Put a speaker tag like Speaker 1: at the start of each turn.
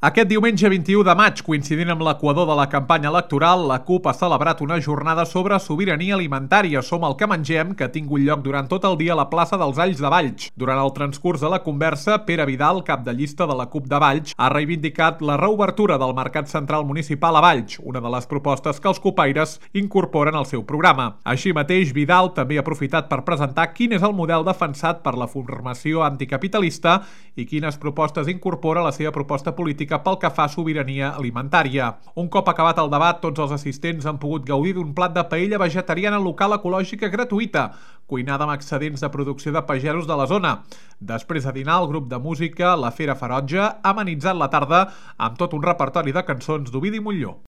Speaker 1: Aquest diumenge 21 de maig, coincidint amb l'equador de la campanya electoral, la CUP ha celebrat una jornada sobre sobirania alimentària. Som el que mengem, que ha tingut lloc durant tot el dia a la plaça dels Alls de Valls. Durant el transcurs de la conversa, Pere Vidal, cap de llista de la CUP de Valls, ha reivindicat la reobertura del Mercat Central Municipal a Valls, una de les propostes que els cupaires incorporen al seu programa. Així mateix, Vidal també ha aprofitat per presentar quin és el model defensat per la formació anticapitalista i quines propostes incorpora la seva proposta política pel que fa a sobirania alimentària. Un cop acabat el debat, tots els assistents han pogut gaudir d'un plat de paella vegetariana local ecològica gratuïta, cuinada amb excedents de producció de pagesos de la zona. Després de dinar, el grup de música La Fera Ferotge ha amenitzat la tarda amb tot un repertori de cançons d'Ovidi Montllor.